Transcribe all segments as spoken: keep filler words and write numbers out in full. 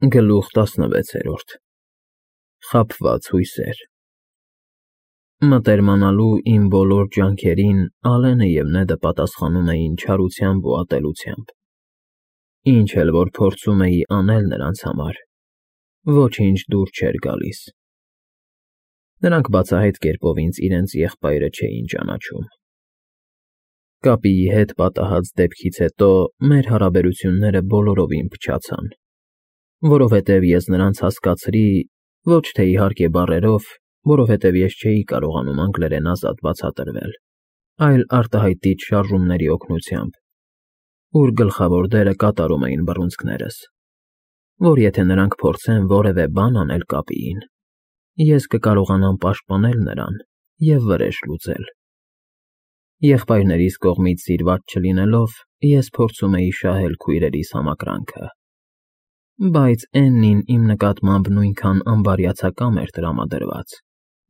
Գլուխ տասնվեցերորդ Խաբված հույսեր Մտերմանալու իմ բոլոր ջանքերին Ալենը և Նեդը պատասխանում էին չարությամբ ու ատելությամբ, ինչ էլ որ փորձում էի անել նրանց համար, ոչինչ դուր չէր գալիս. նրանք բացահայտ կերպով ինձ իրենց եղբայրը չէին ճանաչում։ Կապիի հետ պատահած դեպքից հետո մեր հարաբերությունները բոլորովին փչացան, որովհետև ես նրանց հասկացրի ոչ թե իհարկե բառերով, որովհետև ես չէի կարողանում անգլերեն ազատ բացատրվել, այլ արտահայտիչ շարժումների օգնությամբ, ուր գլխավոր դերը կատարում էին բռունցքներս, որ եթե նրանք փորձեն որևէ բան անել Կապիին, ես կկարողանամ պաշտպանել նրան և վրեժ լուծել։ Եղբայրներիս կողմից սիրված չլինելով, ես փորձում էի շահել քույրերիս համակրանքը, բայց Էննին իմ նկատմամբ նույնքան անբարյացակամ էր տրամադրված,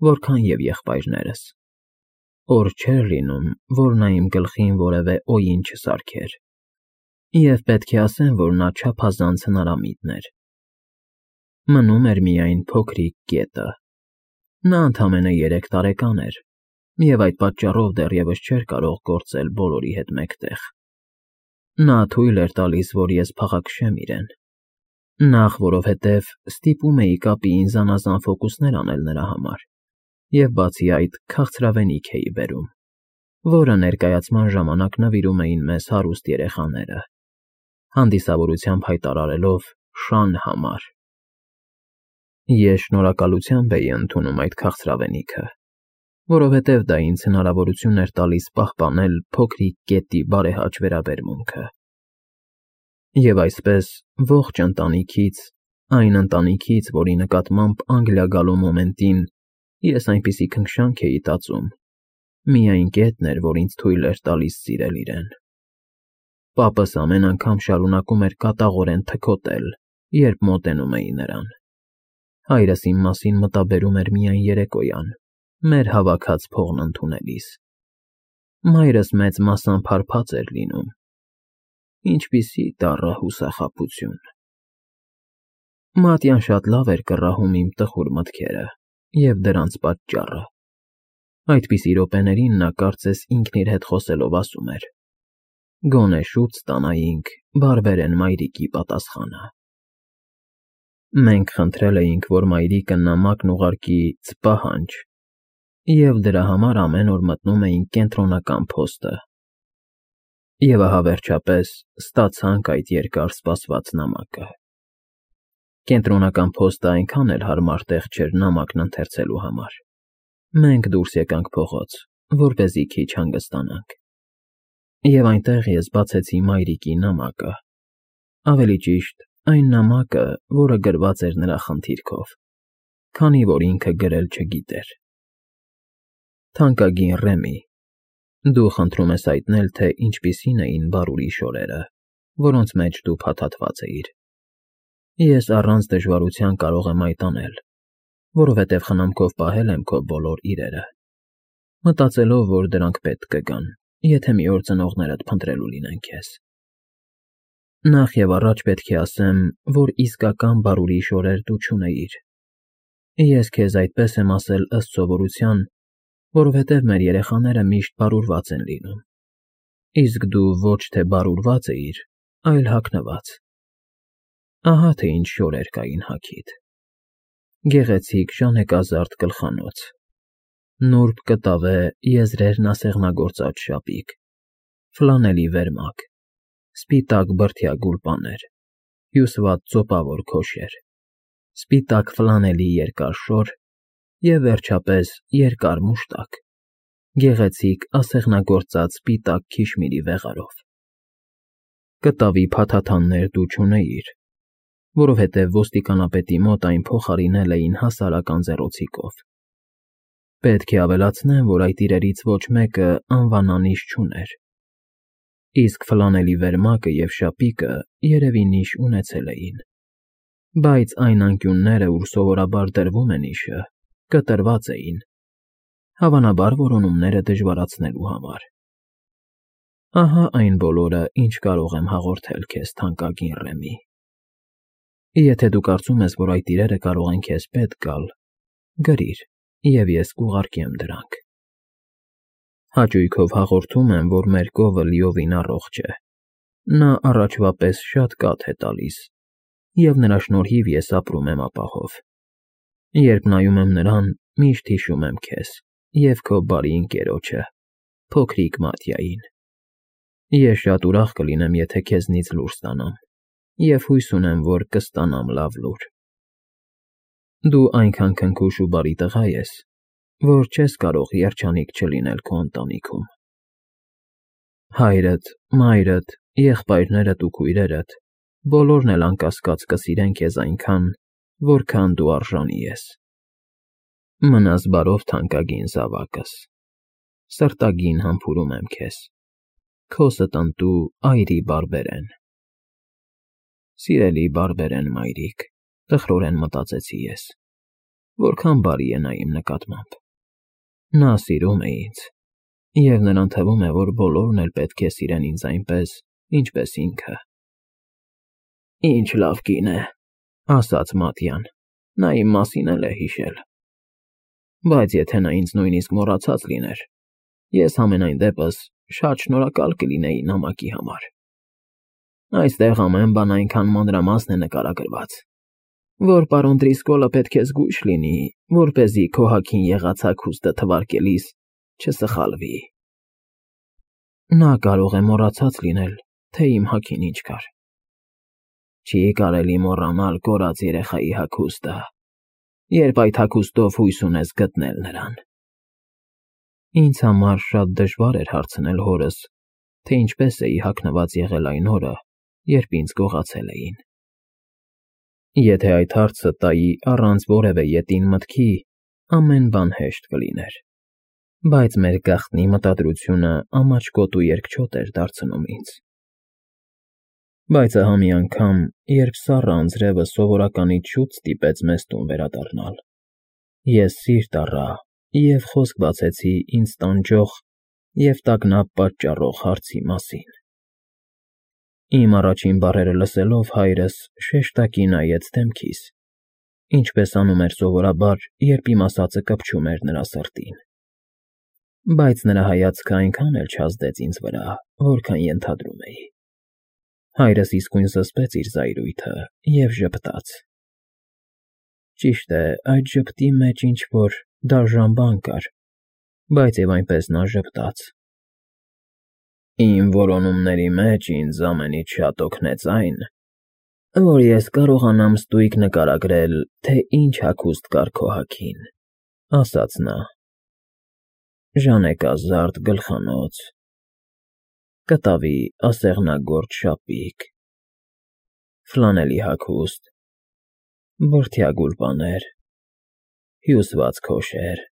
որքան և եղբայրներս, օր չէր լինում, որ նա իմ գլխին որևէ օյին չսարքեր, և պետք է ասեմ, որ նա չափազանց հնարամիտ էր։ Մնում էր միայն փոքրիկ կետը. նա ընդամենը երեք տարեկան էր և այդ պատճառով դեռևս չէր կարող գործել բոլորի հետ մեկտեղ։ Նա թույլ էր տալիս, որ ես փաղաքշեմ իրեն, նախ որովհետև ստիպում էի Կապիին զանազան ֆոկուսներ անել նրա համար, և բացի այդ քաղցրավենիք էի բերում, որը ներկայացման ժամանակ նվիրում էին մեզ հարուստ երեխաները, հանդիսավորությամբ հայտարարելով Շան համար։ Ես շնորհակալությամբ էի ընդունում այդ քաղցրավենիքը, որովհետև դա ինձ հնարավորություն էր տալիս պահպանել փոքրիկ կետի բարեհաճ վերաբերմունքը։ Եվ այսպես ողջ ընտանիքից, այն ընտանիքից, որի նկատմամբ Անգլիա գալու մոմենտին ես այնպիսի քնքշանք էի տածում, միայն կետն էր, որ ինձ թույլ էր տալիս սիրել իրեն։ Պապս ամեն անգամ շարունակում էր կատաղորեն թքոթել, երբ մոտենում էի նրան։ Հայրս իմ մասին մտաբերում էր միայն երեկոյան, մեր հավաքած փողն ընդունելիս։ Մայրս մեծ մասամբ հարբած էր լինում։ Ինչպիսի դառը հուսախաբություն։ Մատյան շատ լավ էր կռահում իմ տխուր մտքերը և դրանց պատճառը։ Այդպիսի րոպեներին նա կարծես ինքն իր հետ խոսելով ասում էր. «Գոնե շուտ ստանայինք բարբերեն մայրիկի պատասխանը»։ Մենք խնդրել էինք, որ մայրիկը նամակն ուղարկի Սպահանջ, և դրա համար ամեն օր մտնում էինք Կենտրոնական փոստը։ Եվ ահա վերջապես ստացանք այդ երկար սպասված նամակը։ Կենտրոնական փոստը այնքան էլ հարմար տեղ չէր նամակն ընթերցելու համար։ Մենք դուրս եկանք փողոց, որպեսզի քիչ հանգստանանք։ Եվ այնտեղ ես բացեցի մայրիկի նամակը, ավելի ճիշտ, այն նամակը, որը գրված էր նրա խնդիրքով, քանի որ ինքը գրել չգիտեր։ Թանկագին Ռեմի, դու խնդրում ես հայտնել, թե ինչպիսին էին Բարուրի շորերը, որոնց մեջ դու փաթաթված էիր։ Ես առանց դժվարության կարող եմ այդ անել, որովհետև խնամքով պահել եմ քո բոլոր իրերը, մտածելով, որ դրանք պետք կգան, եթե մի օր ծնողներդ փնտրելու լինեն քեզ։ Նախ և առաջ պետք է ասեմ, որ իսկական Բարուրի շորեր դու չունեիր։ Ես քեզ այդպես եմ ասել ըստ սովորության, որովհետև մեր երեխաները միշտ բարուրված են լինում, իսկ դու ոչ թե բարուրված էիր, այլ հագնված։ Ահա թե ինչ շորեր կային հագիդ. գեղեցիկ ժանեկազարդ գլխանոց, նուրբ կտավե եզրերն ասեղնագործած շապիկ, ֆլանելի վերմակ, սպիտակ բրդյա գուլպաներ, հյուսված ծոպավոր քոշեր, սպիտակ ֆլանելի երկար շոր և, վերջապես, երկար մուշտակ, գեղեցիկ ասեղնագործած սպիտակ քիշմիրի վեղարով։ Կտավի փաթաթաններ դու չունեիր, որովհետև ոստիկանապետի մոտ այն փոխարինել էին հասարակ անձեռոցիկով։ Պետք է ավելացնեմ, որ այդ իրերից ոչ մեկը անվանանիշ չուներ, իսկ ֆլանելի վերմակը և շապիկը երևի նիշ ունեցել էին, բայց այն անկյունները, ուր սովորաբար դրվում է նիշը, կտրված էին, հավանաբար որոնումները դժվարացնելու համար։ Ահա այն բոլորը, ինչ կարող եմ հաղորդել քեզ, թանկագին Ռեմի։ Եթե դու կարծում ես, որ այդ իրերը կարող են քեզ պետք գալ, գրիր, և ես կուղարկեմ դրանք։ Հաճույքով հաղորդում եմ, որ մեր կովը լիովին առողջ է։ Նա առաջվա պես շատ կաթ է տալիս, և նրա շնորհիվ ես ապրում եմ ապահով։ Երբ նայում եմ նրան, միշտ հիշում եմ քեզ և քո բարի ընկերոջը, փոքրիկ Մատյային։ Ես շատ ուրախ կլինեմ, եթե քեզնից լուր ստանամ, և հույս ունեմ, որ կստանամ լավ լուր։ Դու այնքան քնքուշ ու բարի տղա ես, որ չես կարող երջանիկ չլինել քո ընտանիքում։ Հայրդ, մայրդ, եղբայրներդ ու քույրերդ բոլորն էլ անկասկած կսիրեն քեզ այնքան, որքան դու արժանի ես։ Մնաս բարով, թանկագին զավակս, սրտագին համբուրում եմ քեզ, քո ստընտու այրի բարբերեն։ Սիրելի բարբերեն մայրիկ, տխրորեն մտածեցի ես, որքան բարի է նա իմ նկատմամբ։ Նա սիրում է ինձ, և նրան թվում է, որ բոլորն էլ պետք է սիրեն ինձ այնպես, ինչպես ինքը։ Ինչ լավ կին է, ասաց Մատյան, նա իմ մասին էլ է հիշել։ Բայց եթե նա ինձ նույնիսկ մոռացած լիներ, ես համենայն դեպս շատ շնորհակալ կլինեի նամակի համար։ Այստեղ ամեն բան այնքան մանրամասն է նկարագրված, որ պարոն Դրիսկոլը պետք է զգույշ լինի, որպեսզի քո հագին եղած հագուստը թվարկելիս չսխալվի։ Նա կարող է մոռացած լինել, թե իմ հագին ինչ կար։ Չի կարելի մոռանալ կորած երեխայի հագուստը, երբ այդ հագուստով հույս ունես գտնել նրան։ Ինձ համար շատ դժվար էր հարցնել հորս, թե ինչպես էի հագնված եղել այն օրը, երբ ինձ գողացել էին։ Եթե այդ հարցը տայի առանց որևէ ետին մտքի, ամեն բան հեշտ կլիներ, բայց մեր գաղտնի մտադրությունը ամաչկոտ ու երկչոտ էր դարձնում ինձ։ Բայց ահա մի անգամ, երբ սառը անձրևը սովորականից շուտ ստիպեց մեզ տուն վերադառնալ, ես սիրտ առա և խոսք բացեցի ինձ տանջող և տագնապ պատճառող հարցի մասին։ Իմ առաջին բառերը լսելով հայրս շեշտակի նայեց դեմքիս, ինչպես անում էր սովորաբար, երբ իմ ասածը կպչում էր նրա սրտին։ Բայց նրա հայացքը այնքան էլ չազդեց ինձ վրա, որքան ենթադրում էի։ Հայրս իսկույն զսպեց իր զայրույթը և ժպտաց։ Ճիշտ է, այդ ժպտի մեջ ինչ-որ դաժան բան կար, բայց և այնպես նա ժպտաց։ Իմ որոնումների մեջ ինձ ամենից շատ օգնեց այն, որ ես կարողանամ ստույգ նկարագրել, թե ինչ հագուստ կար քո հագին, ասաց նա։ Ժանեկազարդ գլխանոց, կտավի ասեղնագործ շապիկ, ֆլանելի հագուստ, բրդյա գուլպաներ, հյուսված քոշեր,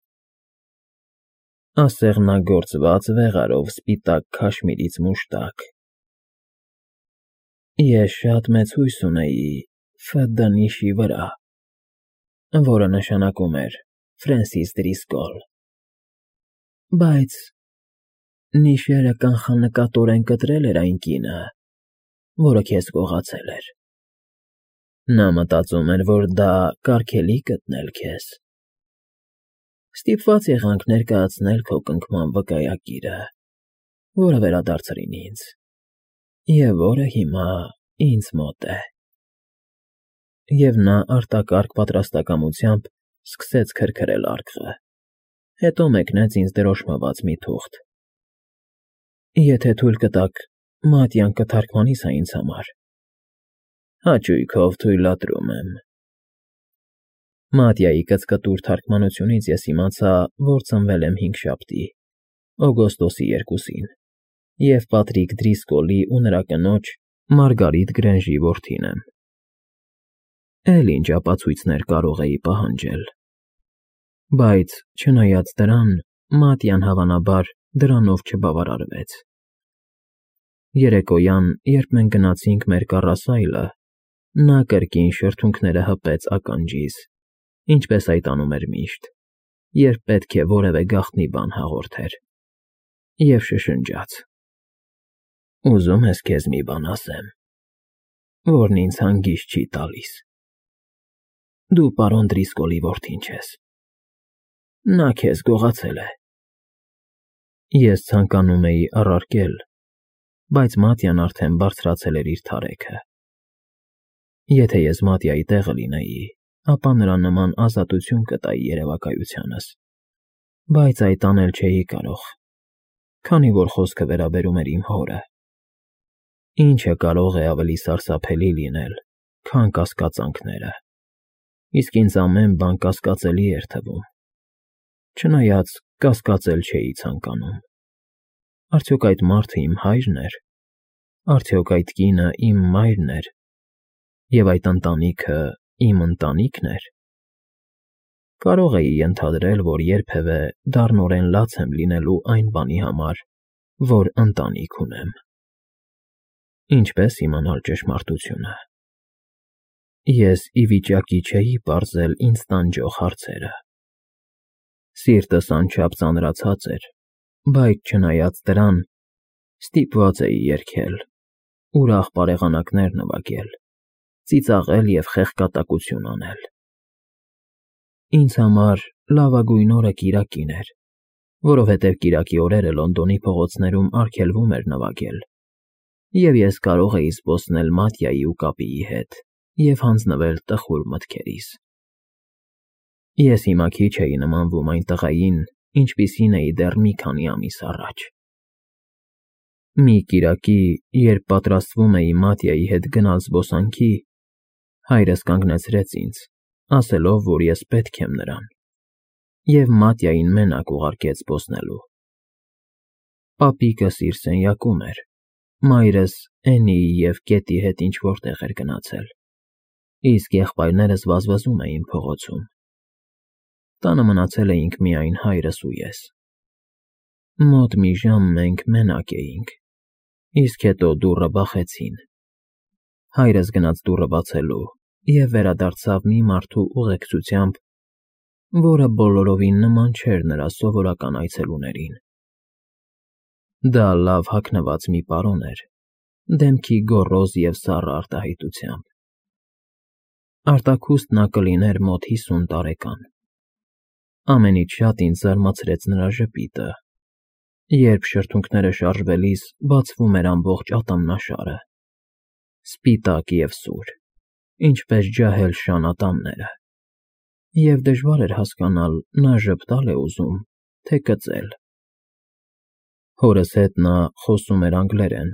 ասեղնագործված վեղարով սպիտակ քաշմիրից մուշտակ։ Ես շատ մեծ հույս ունեի Ֆ. Դ. նիշի վրա, որը նշանակում էր Ֆրենսիս Դրիսկոլ։ Բայց նիշերը կանխանկատորեն կտրել էր այն կինը, որը քեզ գողացել էր։ Նա մտածում էր, որ դա կարգելի գտնել քեզ։ Ստիպված եղանք ներկայացնել քո կնքման վկայագիրը, որը վերադարձրին ինձ, և որը հիմա ինձ մոտ է։ Եվ նա արտակարգ պատրաստակամությամբ սկսեց քրքրել արկղը, հետո մեկնեց ինձ դրոշմված մի թուղթ։ Եթե թույլ կտաք, Մատյան կթարգմանի սա ինձ համար։ Հաճույքով թույլատրում եմ։ Մատյայի կծկտուր թարգմանությունից ես իմացա, որ ծնվել եմ հինգշաբթի, օգոստոսի երկուսին, և Պատրիկ Դրիսկոլի ու նրա կնոջ՝ Մարգարիտ Գրենժի որդին եմ։ Էլ ինչ ապացույցներ կարող էի պահանջել։ Բայց, չնայած դրան, Մատյան հավանաբար դրանով չբավարարվեց։ Երեկոյան, երբ մենք գնացինք մեր կառասայլը, նա կրկին շրթունքները հպեց ականջիս, ինչպես այդ անում էր միշտ, երբ պետք է որևէ գաղտնի բան հաղորդեր, և շշնջաց. Ուզում ես քեզ մի բան ասեմ, որն ինձ հանգիստ չի տալիս։ Դու պարոն Դրիսկոլի որդին չես։ Նա քեզ գողացել է։ Ես ցանկանում էի առարկել, բայց Մատյան արդեն բարձրացել էր իր թարեքը։ Եթե ես Մատյայի տեղը լինեի, ապա նրա նման ազատություն կտայի երևակայությանս, բայց այդ անել չէի կարող, քանի որ խոսքը վերաբերում էր իմ հորը։ Ինչը կարող է ավելի սարսափելի լինել, քան կասկածանքները, իսկ ինձ ամեն բան կասկածելի էր թվում, չնայած կասկածել չէի ցանկանում։ Արդյոք այդ մարդը իմ հայրն էր, արդյոք այդ կինը իմ մայրն էր, և այդ ընտանիքը իմ ընտանիքն էր։ Կարող էի ենթադրել, որ երբևէ դառնորեն լաց եմ լինելու այն բանի համար, որ ընտանիք ունեմ։ Ինչպես իմանալ ճշմարտությունը։ Ես ի վիճակի չէի պարզել ինձ տանջող հարցերը։ Սիրտս անչափ ծանրացած էր, բայց չնայած դրան, ստիպված էի երգել, ուրախ բարեղանակներ նվագել, ծիծաղել և խեղկատակություն անել։ Ինձ համար լավագույն օրը կիրակին էր, որովհետև կիրակի օրերը Լոնդոնի փողոցներում արգելվում էր նվագել, և ես կարող էի զբոսնել Մատյայի ու կապիի հետ և հանձնվել տխուր մտքերիս։ Ես հիմա քիչ էի նմանվում այն տղային, ինչպիսին էի դեռ մի քանի ամիս առաջ։ Մի կիրակի, երբ պատրաստվում էի Մատյայի հետ գնալ զբոսանքի, հայրս կանգնեցրեց ինձ, ասելով, որ ես պետք եմ նրան, և Մատյային մենակ ուղարկեց զբոսնելու։ Պապիկս իր սենյակում էր, մայրս Էննիի և Կետի հետ ինչ֊որ տեղ էր գնացել, իսկ եղբայրներս վազվզում էին փողոցում։ Տանը մնացել էինք միայն հայրս ու ես։ Մոտ մի ժամ մենք մենակ էինք, իսկ հետո դուռը բախեցին։ Հայրս գնաց դուռը բացելու և վերադարձավ մի մարդու ուղեկցությամբ, որը բոլորովին նման չէր նրա սովորական այցելուներին։ Դա լավ հագնված մի պարոն էր, դեմքի գոռոզ և սառը արտահայտությամբ։ Արտաքուստ նա կլիներ մոտ հիսուն տարեկան։ Ամենից շատ ինձ զարմացրեց նրա ժպիտը, երբ շրթունքները շարժվելիս բացվում էր ամբողջ ատամնաշարը, սպիտակ և սուր, ինչպես ջահել շան ատամները, և դժվար էր հասկանալ նա ժպտալ է ուզում, թե կծել։ Հորս հետ նա խոսում էր անգլերեն,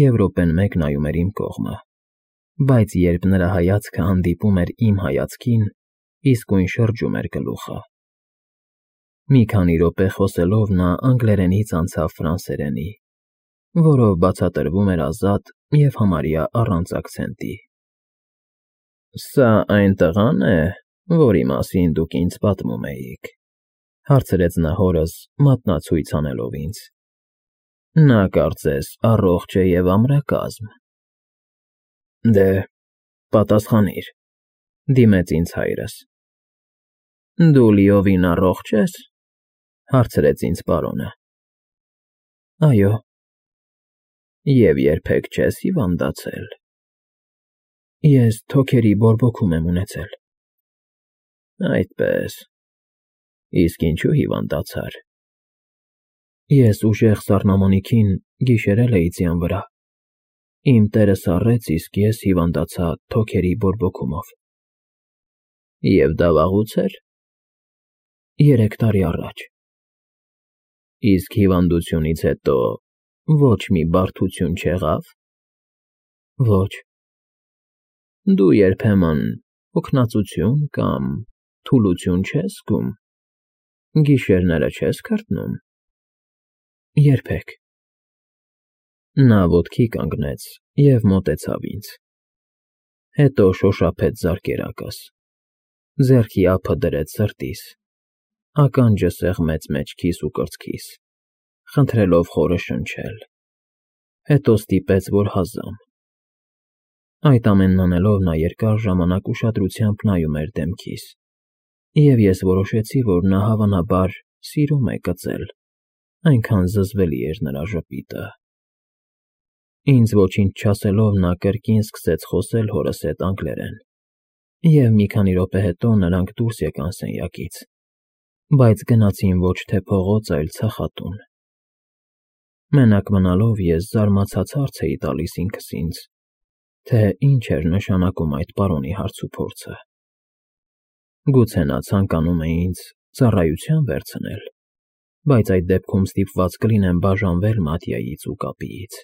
և րոպեն մեկ նայում էր իմ կողմը, բայց երբ նրա հայացքը հանդիպում էր իմ հայացքին, իսկույն շրջում էր գլուխը։ Մի քանի րոպե խոսելով նա անգլերենից անցավ ֆրանսերենի, որով բացատրվում էր ազատ և համարյա առանց աքցենտի։ Սա այն տղա՞ն է, որի մասին դուք ինձ պատմում էիք, հարցրեց նա հորս, մատնացույց անելով ինձ։ Նա կարծես առողջ է և ամրակազմ։ Դե, պատասխանիր, դիմեց ինձ հայրս։ Դու լիովին առողջ ես, հարցրեց ինձ պարոնը։ Այո։ Եվ երբեք չես հիվանդացել։ Ես թոքերի բորբոքում եմ ունեցել։ Այդպես, իսկ ինչու հիվանդացար։ Ես ուժեղ սառնամանիքին գիշերել էի ձյան վրա։ Իմ տերը սառեց, իսկ ես հիվանդացա թոքերի բորբոքումով։ Եվ դա վաղուց էր։ Երեք տարի առաջ։ Իսկ հիվանդությունից հետո ոչ մի բարդություն չեղավ։ Ոչ։ Դու երբեմն հոգնածություն կամ թուլություն չես զգում։ Գիշերները չես քրտնում։ Երբեք։ Նա ոտքի կանգնեց և մոտեցավ ինձ։ Հետո շոշափեց զարկերակս, ձեռքի ափը դրեց սրտիս, ականջը սեղմեց մեջքիս ու կրծքիս, խնդրելով խորը շնչել, հետո ստիպեց, որ հազամ։ Այդ ամենն անելով նա երկար ժամանակ ուշադրությամբ նայում էր դեմքիս, և ես որոշեցի, որ նա հավանաբար սիրում է կծել, այնքան զզվելի էր նրա ժպիտը։ Ինձ ոչինչ չասելով նա կրկին սկսեց խոսել հորս հետ անգլերեն, Եվ մի քանի րոպե հետո նրանք դուրս եկան սենյակից, բայց գնացին ոչ թե փողոց, այլ ցախատուն։ Մենակ մնալով ես զարմացած հարց էի տալիս ինքս ինձ, թե ինչ էր նշանակում այդ պարոնի հարցուփորձը։ Գուցե նա ցանկանում է ինձ ծառայության վերցնել, բայց այդ դեպքում ստիպված կլինեմ բաժանվել Մատյայից ու կապիից։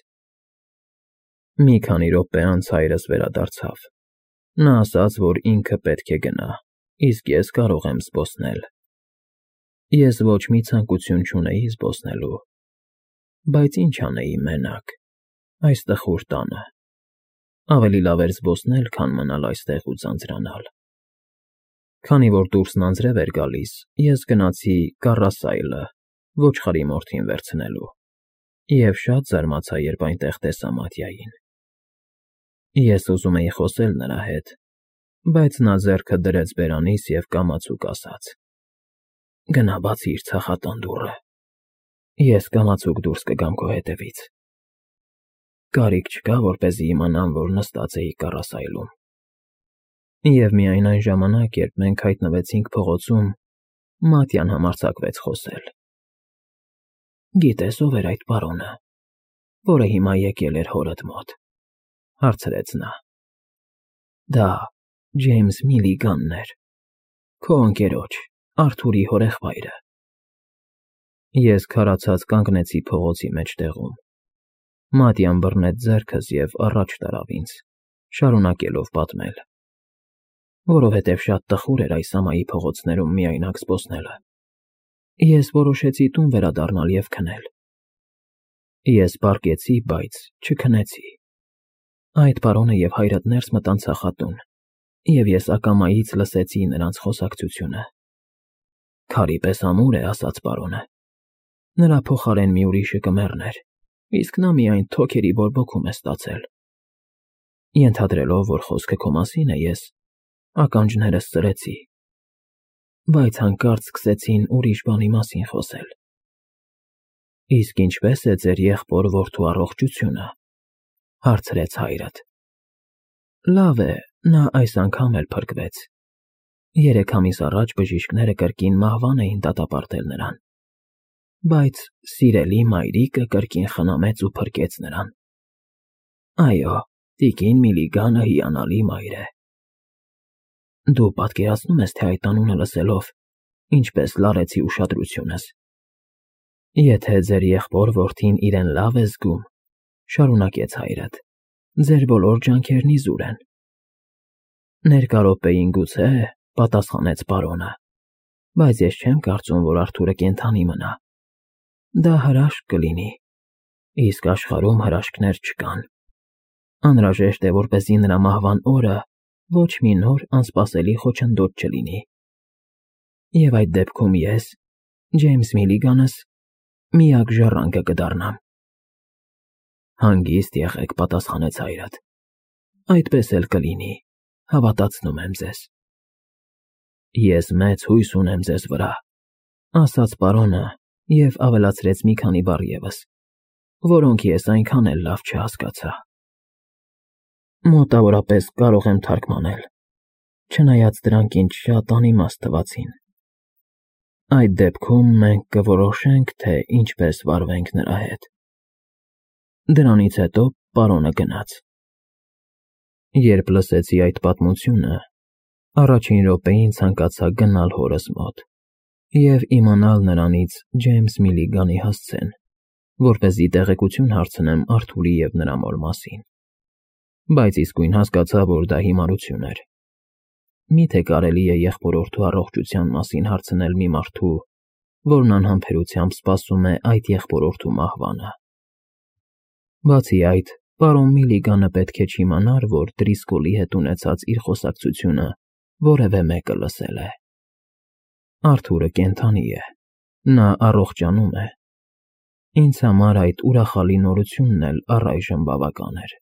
Մի քանի րոպե անց հայրս վերադարձավ։ Նա ասաց, որ ինքը պետք է գնա, իսկ ես կարող եմ զբոսնել։ Ես ոչ մի ցանկություն չունեի զբոսնելու, բայց ինչ անեի մենակ, այս տխուր տանը։ Ավելի լավ էր զբոսնել, քան մնալ այստեղ ու ձանձրանալ։ Քանի որ դուրսն անձրև էր գալիս, ես գնացի Կառասայլը ոչխարի մորթին վերցնելու և շատ զարմացա, երբ այնտեղ տեսա Մատյային։ Ես ուզում էի խոսել նրա հետ, բայց նա ձեռքը դրեց բերանիս և կամացուկ ասաց. «Գնա բացիր ցախատան դուռը, ես կամացուկ դուրս կգամ քո հետևից»։ Կարիք չկա, որպեսզի իմանամ, որ նստած էի Կառասայլում։ Եվ միայն այն ժամանակ, երբ մենք հայտնվեցինք փողոցում, Մատյան համարձակվեց խոսել։ «Գիտես ով էր այդ պարոնը, որը հիմա եկել էր հորդ մոտ», հարցրեց նա։ «Դա Ջեյմս Միլիգանն էր, քո ընկերոջ, Արթուրի հորեղբայրը»։ Ես քարացած կանգնեցի փողոցի մեջտեղում։ Մատյան բռնեց ձեռքս և առաջ տարավ ինձ, շարունակելով պատմել։ Որովհետև շատ տխուր էր այս ամայի փողոցներում միայնակ զբոսնելը, ես որոշեցի տուն վերադառնալ և քնել։ Ես պառկեցի, բայց չքնեցի։ Այդ պարոնը և հայրդ ներս մտան ցախատուն, և ես ակամայից լսեցի նրանց խոսակցությունը։ «Քարի պես ամուր է», ասաց պարոնը։ «Նրա փոխարեն մի ուրիշը կմեռներ, իսկ նա միայն թոքերի բորբոքում է ստացել»։ Ենթադրելով, որ խոսքը քո մասին է, ես ականջներս ծրեցի, բայց հանկարծ սկսեցին ուրիշ բանի մասին խոսել։ «Իսկ ինչպե՞ս է ձեր եղբոր֊որդու առողջությունը», հարցրեց հայրդ։ «Լավ է, նա այս անգամ էլ փրկվեց։ Երեք ամիս առաջ բժիշկները կրկին մահվան էին դատապարտել նրան, բայց սիրելի մայրիկը կրկին խնամեց ու փրկեց նրան։ Այո, տիկին Միլիգանը հիանալի մայր է։ Դու պատկերացնում ես, թե այդ անունը լսելով ինչպես լարեցի ուշադրությունս։ Եթե ձեր եղբոր֊որդին իրեն լավ է զգում, շարունակեց հայրդ, ձեր բոլոր ջանքերն իզուր են։ Ներկա րոպեին գուցե, պատասխանեց պարոնը, բայց ես չեմ կարծում, որ Արթուրը կենդանի մնա։ Դա հրաշք կլինի, իսկ աշխարհում հրաշքներ չկան։ Անհրաժեշտ է, որպեսզի նրա մահվան օրը ոչ մի նոր անսպասելի խոչընդոտ չլինի։ Եվ այդ դեպքում ես, Ջեյմս Միլիգանս, միակ ժառանգը կդառնամ։ Հանգիստ եղեք, պատասխանեց հայրդ։ Այդպես էլ կլինի, հավատացնում եմ ձեզ։ Ես մեծ հույս ունեմ ձեզ վրա, ասաց պարոնը և ավելացրեց մի քանի բառ ևս, որոնք ես այնքան էլ լավ չհասկացա։ Մոտավորապես կարող եմ թարգմանել, չնայած դրանք ինձ շատ անիմաստ թվացին։ Այդ դեպքում մենք կորոշենք, թե ինչպես վարվենք նրա հետ։ Դրանից հետո պարոնը գնաց։ Երբ լսեցի այդ պատմությունը, առաջին րոպեին ցանկացա գնալ հորս մոտ և իմանալ նրանից Ջեյմս Միլիգանի հասցեն, որպեսզի տեղեկություն հարցնեմ Արթուրի և նրա մոր մասին։ Բայց իսկույն հասկացա, որ դա հիմարություն էր։ Միթե կարելի է եղբոր-որդու առողջության մասին հարցնել մի մարդու, որն անհամբերությամբ սպասում է այդ եղբոր-որդու մահվանը։ Բացի այդ, պարոն Միլիգանը պետք է չիմանար, որ Դրիսկոլի հետ ունեցած իր խոսակցությունը որևէ մեկը լսել է։ Արթուրը կենդանի է, նա առողջանում է։ Ինձ համար այդ ուրախալի նորությունն էլ առայժմ բավական էր։